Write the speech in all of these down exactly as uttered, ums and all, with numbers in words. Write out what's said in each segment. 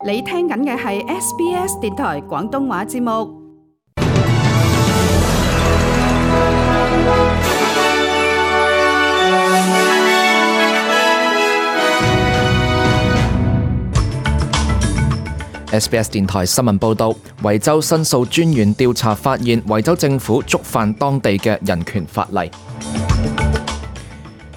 你聽緊嘅係 S B S 電台廣東話節目。S B S 電台新聞報道，維州申訴專員調查發現，維州政府觸犯當地嘅人權法例。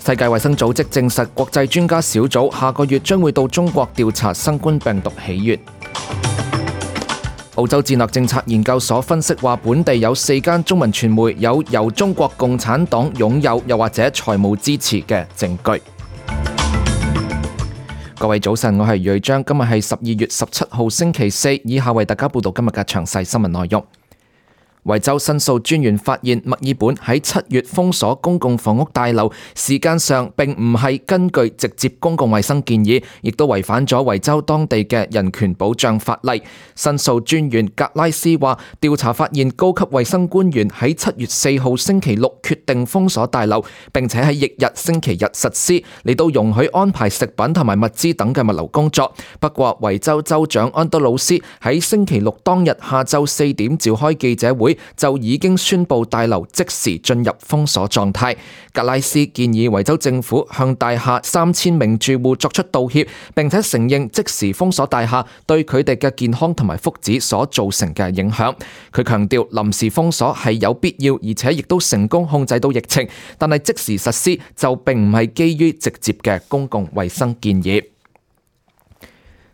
世界衛生組織證實，國際專家小組下個月將會到中國調查新冠病毒起源。澳洲戰略政策研究所分析話，本地有四間中文傳媒有由中國共產黨擁有又或者財務支持嘅證據。各位早晨，我係瑞章，今日係十二月十七號星期四，以下為大家報道今日嘅詳細新聞內容。維州申訴專員發現，墨爾本喺七月封鎖公共房屋大樓，時間上並唔係根據直接公共衛生建議，亦都違反咗維州當地嘅人權保障法例。申訴專員格拉斯話，調查發現高級衛生官員喺七月四號星期六決定封鎖大樓，並且喺翌日星期日實施，嚟到容許安排食品同埋物資等嘅物流工作。不過，維州州長安德魯斯喺星期六當日下晝四點召開記者會，就已經宣布大樓即時進入封鎖狀態。格拉斯建議維州政府向大廈三千名住戶作出道歉，並且承認即時封鎖大廈對佢哋嘅健康同埋福祉所造成嘅影響。佢強調臨時封鎖係有必要，而且亦都成功控制到疫情，但係即時實施就並唔係基於直接嘅公共衛生建議。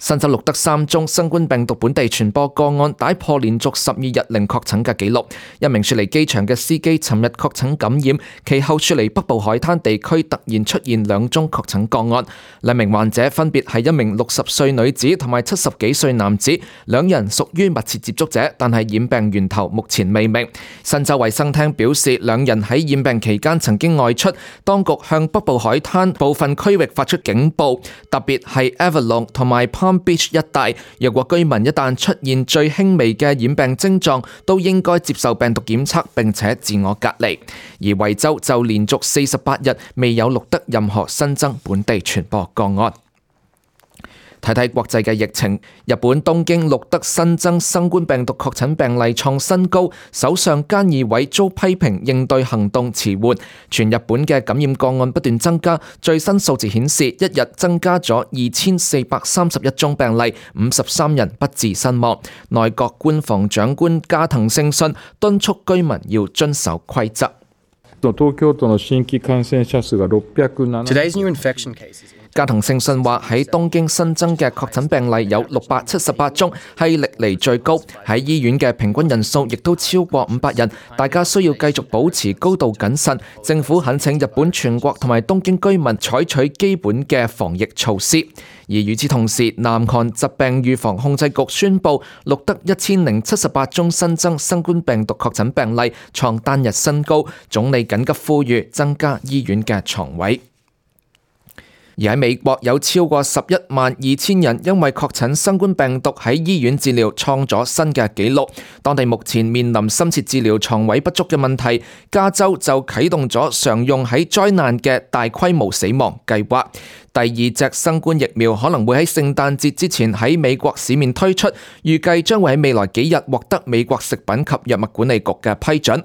新州錄得三宗新冠病毒本地傳播個案，打破連續十二日零確診嘅紀錄。一名雪梨機場嘅司機尋日確診感染，其後雪梨北部海灘地區突然出現兩宗確診個案。兩名患者分別係一名六十歲女子同埋七十幾歲男子，兩人屬於密切接觸者，但係染病源頭目前未明。新州衛生廳表示，兩人喺染病期間曾經外出，當局向北部海灘部分區域發出警報，特別係 Avalon 同埋Beach 一帶，若果居民一旦出現最輕微嘅染病症狀，都應該接受病毒檢測並且自我隔離。而維州就連續四十八日未有錄得任何新增本地傳播個案。睇睇國際嘅疫情，日本東京錄得新增新冠病毒確診病例創新高，首相菅義偉遭批評應對行動遲緩。全日本嘅感染個案不斷增加，最新數字顯示一日增加咗二千四百三十一宗病例，五十三人不治身亡。內閣官房長官加藤勝信敦促居民要遵守規則。Today's new infection cases. 加藤勝信話喺東京新增嘅確診病例有六百七十八宗，係歷嚟最高。喺醫院嘅平均人數亦都超過五百人，大家需要繼續保持高度謹慎。政府懇請日本全國同埋東京居民採取基本嘅防疫措施。而與此同時，南韓疾病預防控制局宣布錄得一千零七十八宗新增新冠病毒確診病例，創單日新高。總理緊急呼籲增加醫院嘅床位。而喺美國有超過十一萬二千人因為確診新冠病毒喺醫院治療，創咗新嘅紀錄。當地目前面臨深切治療床位不足嘅問題，加州就啟動咗常用喺災難嘅大規模死亡計劃。第二隻新冠疫苗可能會喺聖誕節之前喺美國市面推出，預計將會喺未來幾日獲得美國食品及藥物管理局嘅批准。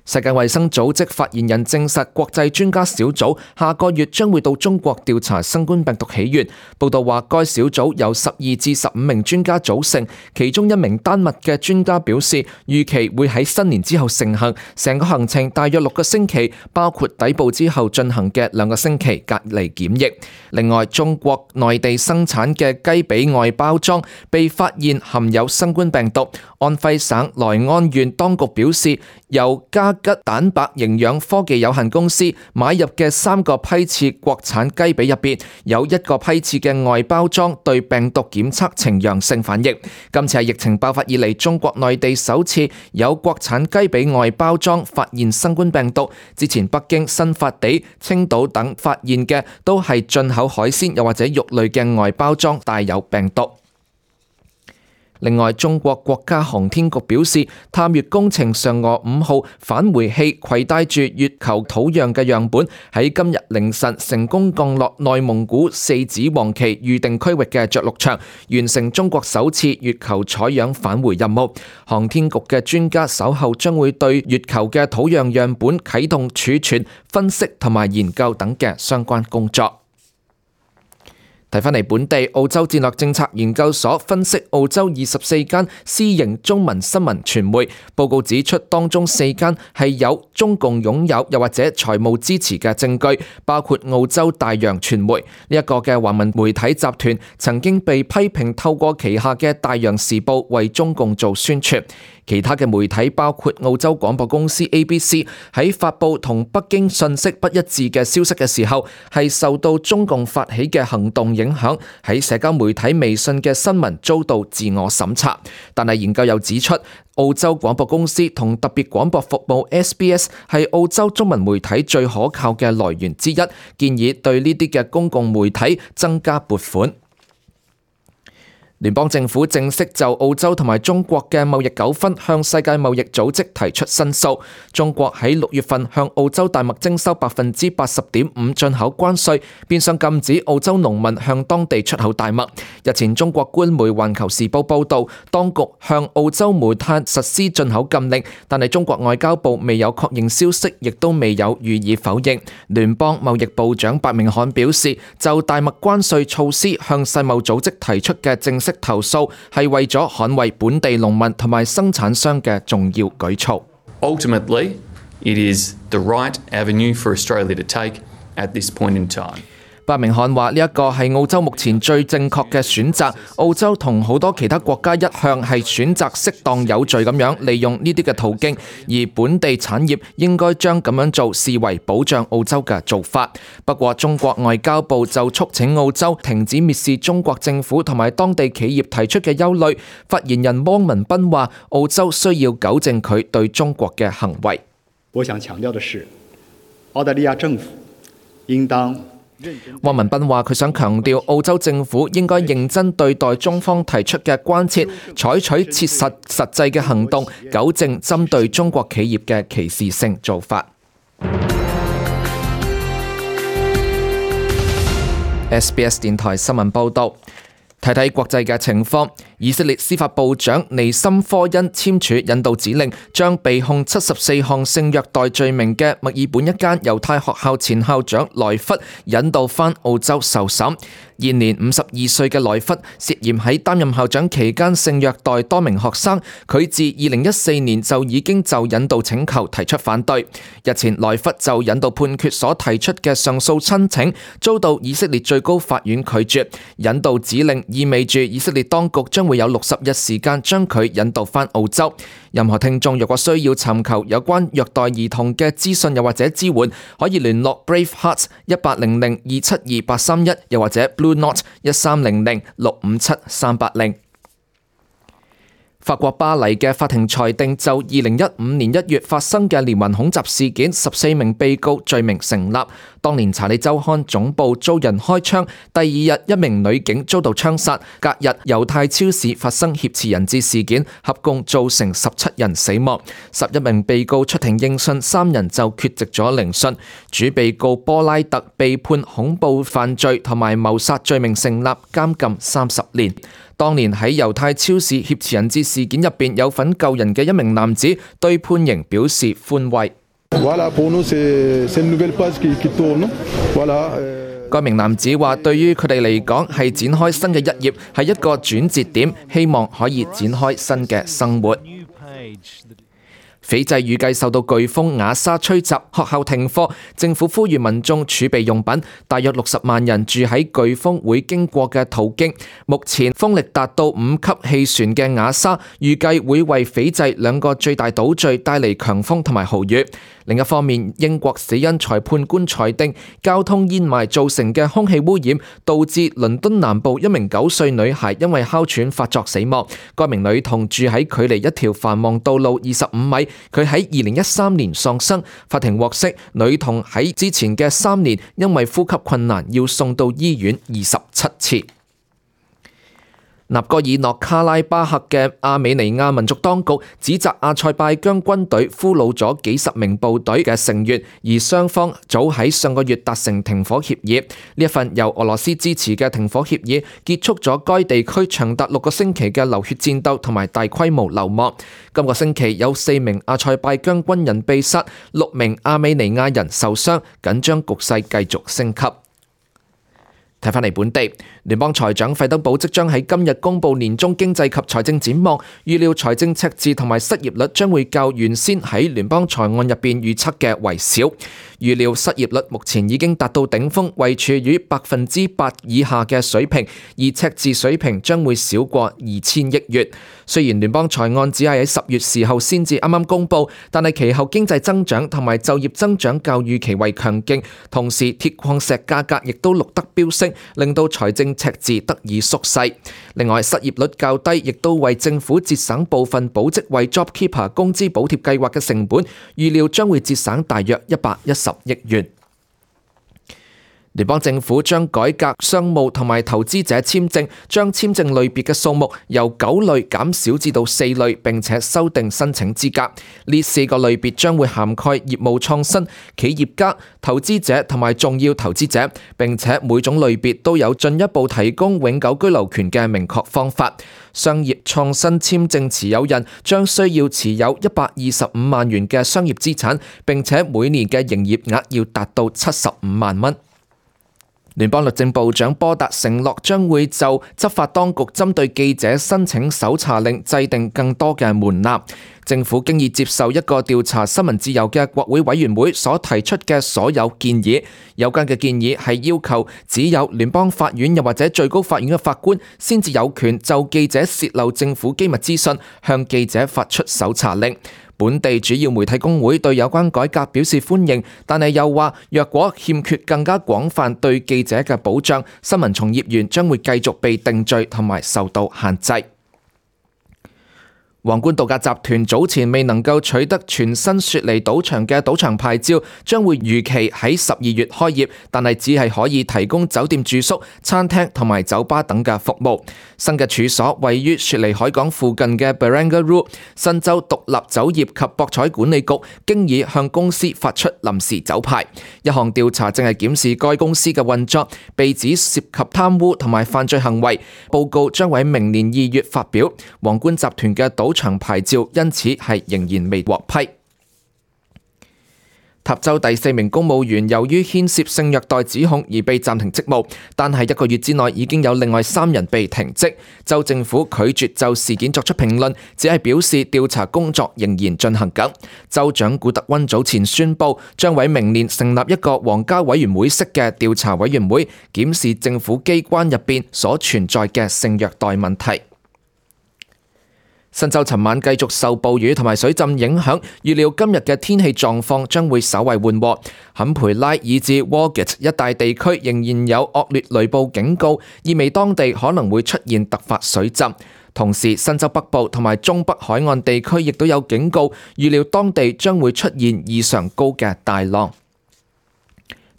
世界衛生組織發言人證實，國際專家小組下個月將會到中國調查新冠病毒起源。報道話，該小組由十二至十五名專家組成，其中一名丹麥嘅專家表示，預期會喺新年之後成行，成個行程大約六個星期，包括抵埗之後進行嘅兩個星期隔離檢疫。另外，中國內地生產嘅雞髀外包裝被發現含有新冠病毒。安徽省萊安縣當局表示，由嘉吉蛋白營養科技有限公司買入嘅三個批次國產雞髀入邊，有一個批次嘅外包裝對病毒檢測呈陽性反應。今次係疫情爆發以嚟中國內地首次有國產雞髀外包裝發現新冠病毒。之前北京、新發地、青島等發現嘅都係進口海鮮又或者肉類嘅外包裝帶有病毒。另外，中國國家航天局表示，探月工程嫦娥五號返回器攜帶住月球土壤嘅樣本，喺今日凌晨成功降落內蒙古四子王旗預定區域嘅着陸場，完成中國首次月球採樣返回任務。航天局嘅專家稍後將會對月球嘅土壤樣本啟動儲存、分析同埋研究等嘅相關工作。睇返嚟本地，澳洲戰略政策研究所分析澳洲二十四間私營中文新聞傳媒，報告指出當中四間係有中共擁有又或者財務支持嘅證據，包括澳洲大洋傳媒呢一個嘅華文媒體集團，曾經被批評透過旗下嘅大洋時報為中共做宣傳。其他嘅媒體包括澳洲廣播公司 A B C 喺發佈同北京信息不一致嘅消息嘅時候，係受到中共發起嘅行動影響，喺社交媒體微信嘅新聞遭到自我審查。但係研究又指出，澳洲廣播公司同特別廣播服務 S B S 係澳洲中文媒體最可靠嘅來源之一，建議對呢啲嘅公共媒體增加撥款。聯邦政府正式就澳洲同埋中國嘅貿易糾紛向世界貿易組織提出申訴。中國喺六月份向澳洲大麥徵收百分之八十點五進口關稅，變相禁止澳洲農民向當地出口大麥。日前，中國官媒《環球時報》報導，當局向澳洲煤炭實施進口禁令，但係中國外交部未有確認消息，亦都未有予以否認。聯邦貿易部長白明漢表示，就大麥關稅措施向世貿組織提出嘅正式投訴係為咗捍衛本地農民同埋生產商嘅重要舉措。Ultimately, it is the right avenue for Australia to take at this point in time. 白明漢話：呢一個係澳洲目前最正確嘅選擇。澳洲同好多其他國家一向係選擇適當有序咁樣利用呢啲嘅途徑，而本地產業應該將咁樣做視為保障澳洲嘅做法。不過，中國外交部就促請澳洲停止蔑視中國政府同埋當地企業提出嘅憂慮。發言人汪文斌話：澳洲需要糾正佢對中國嘅行為。我想強調的是，澳大利亞政府應當汪文斌話：佢想強調澳洲政府應該認真對待中方提出嘅關切，採取切實實際嘅行動，糾正針對中國企業嘅歧視性做法。S B S 電台新聞報導。睇睇國際嘅情況，以色列司法部長尼森科恩簽署引渡指令，將被控七十四項性虐待罪名嘅墨爾本一間猶太學校前校長萊弗引渡返澳洲受審。現年五十二歲嘅萊弗涉嫌喺擔任校長期間性虐待多名學生，佢自二零一四年就已經就引渡請求提出反對。日前，萊弗就引渡判決所提出嘅上訴申請遭到以色列最高法院拒絕。引渡指令意味住以色列當局將會有六十日時間將佢引渡返澳洲。任何聽眾若果需要尋求有關虐待兒童嘅資訊又或者支援，可以聯絡 Brave Hearts 一八零零二七二八三一，又或者 Blue Note 一三零零六五七三八零。法國巴黎嘅法庭裁定就二零一五年一月發生嘅連環恐襲事件，十四名被告罪名成立。當年查理周刊總部遭人開槍，第二日一名女警遭到槍殺，隔日猶太超市發生挾持人質事件，合共造成十七人死亡。十一名被告出庭應訊，三人就缺席咗聆訊。主被告波拉特被判恐怖犯罪同埋謀殺罪名成立，監禁三十年。當年喺猶太超市挾持人質事件入邊有份救人嘅一名男子對判刑表示寬慰。該名男子話：對於佢哋嚟講係展開新嘅一頁，係一個轉折點，希望可以展開新嘅生活。斐濟預計受到颶風雅莎吹襲，學校停課，政府呼籲民眾儲備用品。大約六十萬人住喺颶風會經過嘅途經。目前風力達到五級氣旋嘅雅莎，預計會為斐濟兩個最大島嶼帶嚟強風同埋豪雨。另一方面，英國死因裁判官裁定交通煙霾造成嘅空氣污染導致倫敦南部一名九歲女孩因為哮喘發作死亡。該名女童住喺距離一條繁忙道路二十五米，佢喺二零一三年喪生。法庭獲悉，女童喺之前嘅三年因為呼吸困難要送到醫院二十七次。納戈爾諾卡拉巴克嘅亞美尼亞民族當局指責阿塞拜疆軍隊俘虜咗幾十名部隊嘅成員，而雙方早喺上個月達成停火協議。呢一份由俄羅斯支持嘅停火協議結束咗該地區長達六個星期嘅流血戰鬥同埋大規模流亡。今個星期有四名阿塞拜疆軍人被殺，六名亞美尼亞人受傷，緊張局勢繼續升級。睇返嚟本地，聯邦財長費德堡即將喺今日公布年中經濟及財政展望，預料財政赤字同埋失業率將會較原先喺聯邦財案入邊預測嘅為少。預料失業率目前已經達到頂峰，位處於百分之八以下嘅水平，而赤字水平將會少過二千億元。雖然聯邦財案只係喺十月時候先至啱啱公布，但係其後經濟增長同埋就業增長較預期為強勁，同時鐵礦石價格亦都錄得飆升，令到財政赤字得以縮細。另外，失業率較低，亦都為政府節省部分保職位 JobKeeper 工資補貼計劃嘅成本，預料將會節省大約一百一十億元。聯邦政府將改革商務同埋投資者簽證，將簽證類別嘅數目由九類減少至到四類，並且修訂申請資格。呢四個類別將會涵蓋業務創新、企業家、投資者同埋重要投資者，並且每種類別都有進一步提供永久居留權嘅明確方法。商業創新簽證持有人將需要持有一百二十五萬元嘅商業資產，並且每年嘅營業額要達到七十五萬蚊。聯邦律政部長波達承諾將會就執法當局針對記者申請搜查令制定更多嘅門檻。政府經已接受一個調查新聞自由嘅國會委員會所提出嘅所有建議。有關嘅建議係要求只有聯邦法院又或者最高法院嘅法官先至有權就記者洩漏政府機密資訊向記者發出搜查令。本地主要媒體工會對有關改革表示歡迎，但係又話若果欠缺更加廣泛對記者嘅保障，新聞從業員將會繼續被定罪同埋受到限制。皇冠度假集團早前未能夠取得全新雪梨賭場嘅賭場牌照，將會如期喺十二月開業，但係只係可以提供酒店住宿、餐廳同埋酒吧等嘅服務。新嘅處所位於雪梨海港附近嘅 Barangaroo， 新州獨立酒業及博彩管理局經已向公司發出臨時酒牌。一項調查正係檢視該公司嘅運作，被指涉及貪污同埋犯罪行為。報告將喺明年二月發表。皇冠集團嘅賭場牌照因此係仍然未獲批。塔州第四名公務員由於牽涉性虐待指控而被暫停職務，但係一個月之內已經有另外三人被停職。州政府拒絕就事件作出評論，只係表示調查工作仍然進行緊。州長古特溫早前宣布，將喺明年成立一個皇家委員會式嘅調查委員會，檢視政府機關入邊所存在嘅性虐待問題。新州尋晚繼續受暴雨同埋水浸影響，預料今日嘅天氣狀況將會稍為緩和。坎培拉以至 Walgett 一帶地區仍然有惡劣雷暴警告，意味當地可能會出現突發水浸。同時，新州北部同埋中北海岸地區亦都有警告，預料當地將會出現異常高嘅大浪。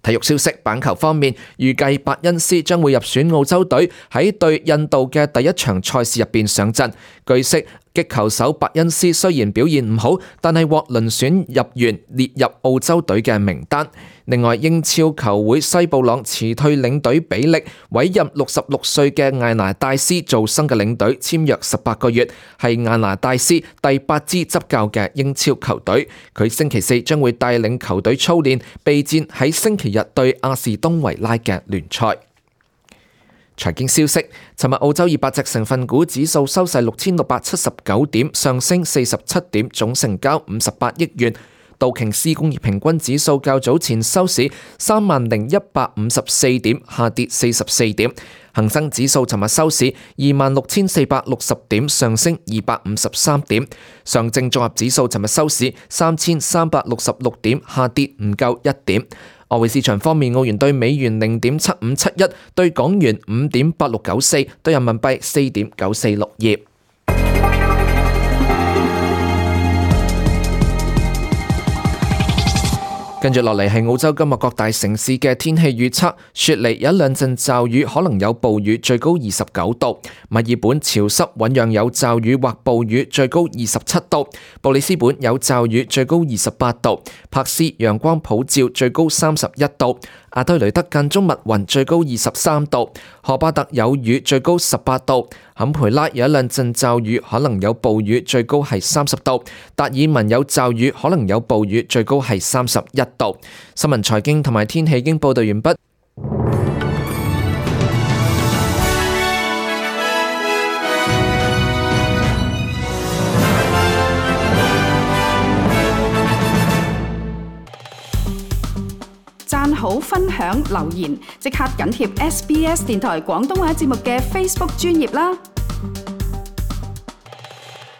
體育消息，板球方面，預計伯恩斯將會入選澳洲隊，喺對印度嘅第一場賽事入邊上陣。據悉，擊球手伯恩斯雖然表現唔好，但係獲遴選入員列入澳洲隊嘅名單。另外，英超球會西布朗辭退領隊比利，委任六十六歲嘅艾拿戴斯做新嘅領隊，簽約十八個月，係艾拿戴斯第八支執教嘅英超球隊。佢星期四將會帶領球隊操練，備戰喺星期日對阿士東維拉嘅聯賽。財經消息，尋日澳洲二百隻成分股指數收市六千六百七十九點，上升四十七點，總成交五十八億元。道瓊斯工業平均指數較早前收市三萬零一百五十四點，下跌四十四點。恒生指數尋日收市二萬六千四百六十點，上升二百五十三點。上證綜合指數尋日收市三千三百六十六點，下跌唔夠一點。外匯市場方面，澳元對美元零點七五七一，對港元五點八六九四，對人民幣四點九四六二。跟住落嚟係澳洲今日各大城市嘅天氣預測。雪梨有一兩陣驟雨，可能有暴雨，最高二十九度。墨爾本潮濕醞釀有驟雨或暴雨，最高二十七度。布里斯本有驟雨，最高二十八度。柏斯陽光普照，最高三十一度。阿德雷德間中密雲，最高二十三度。荷巴特有雨，最高十八度。坎培拉有一兩陣驟雨，可能有暴雨，最高係三十度。達爾文有驟雨，可能有暴雨，最高係三十一度。新聞、財經同埋天氣已經報道完畢。讚好、分享、留言，即刻緊貼 S B S 電台廣東話節目嘅 Facebook 專頁啦！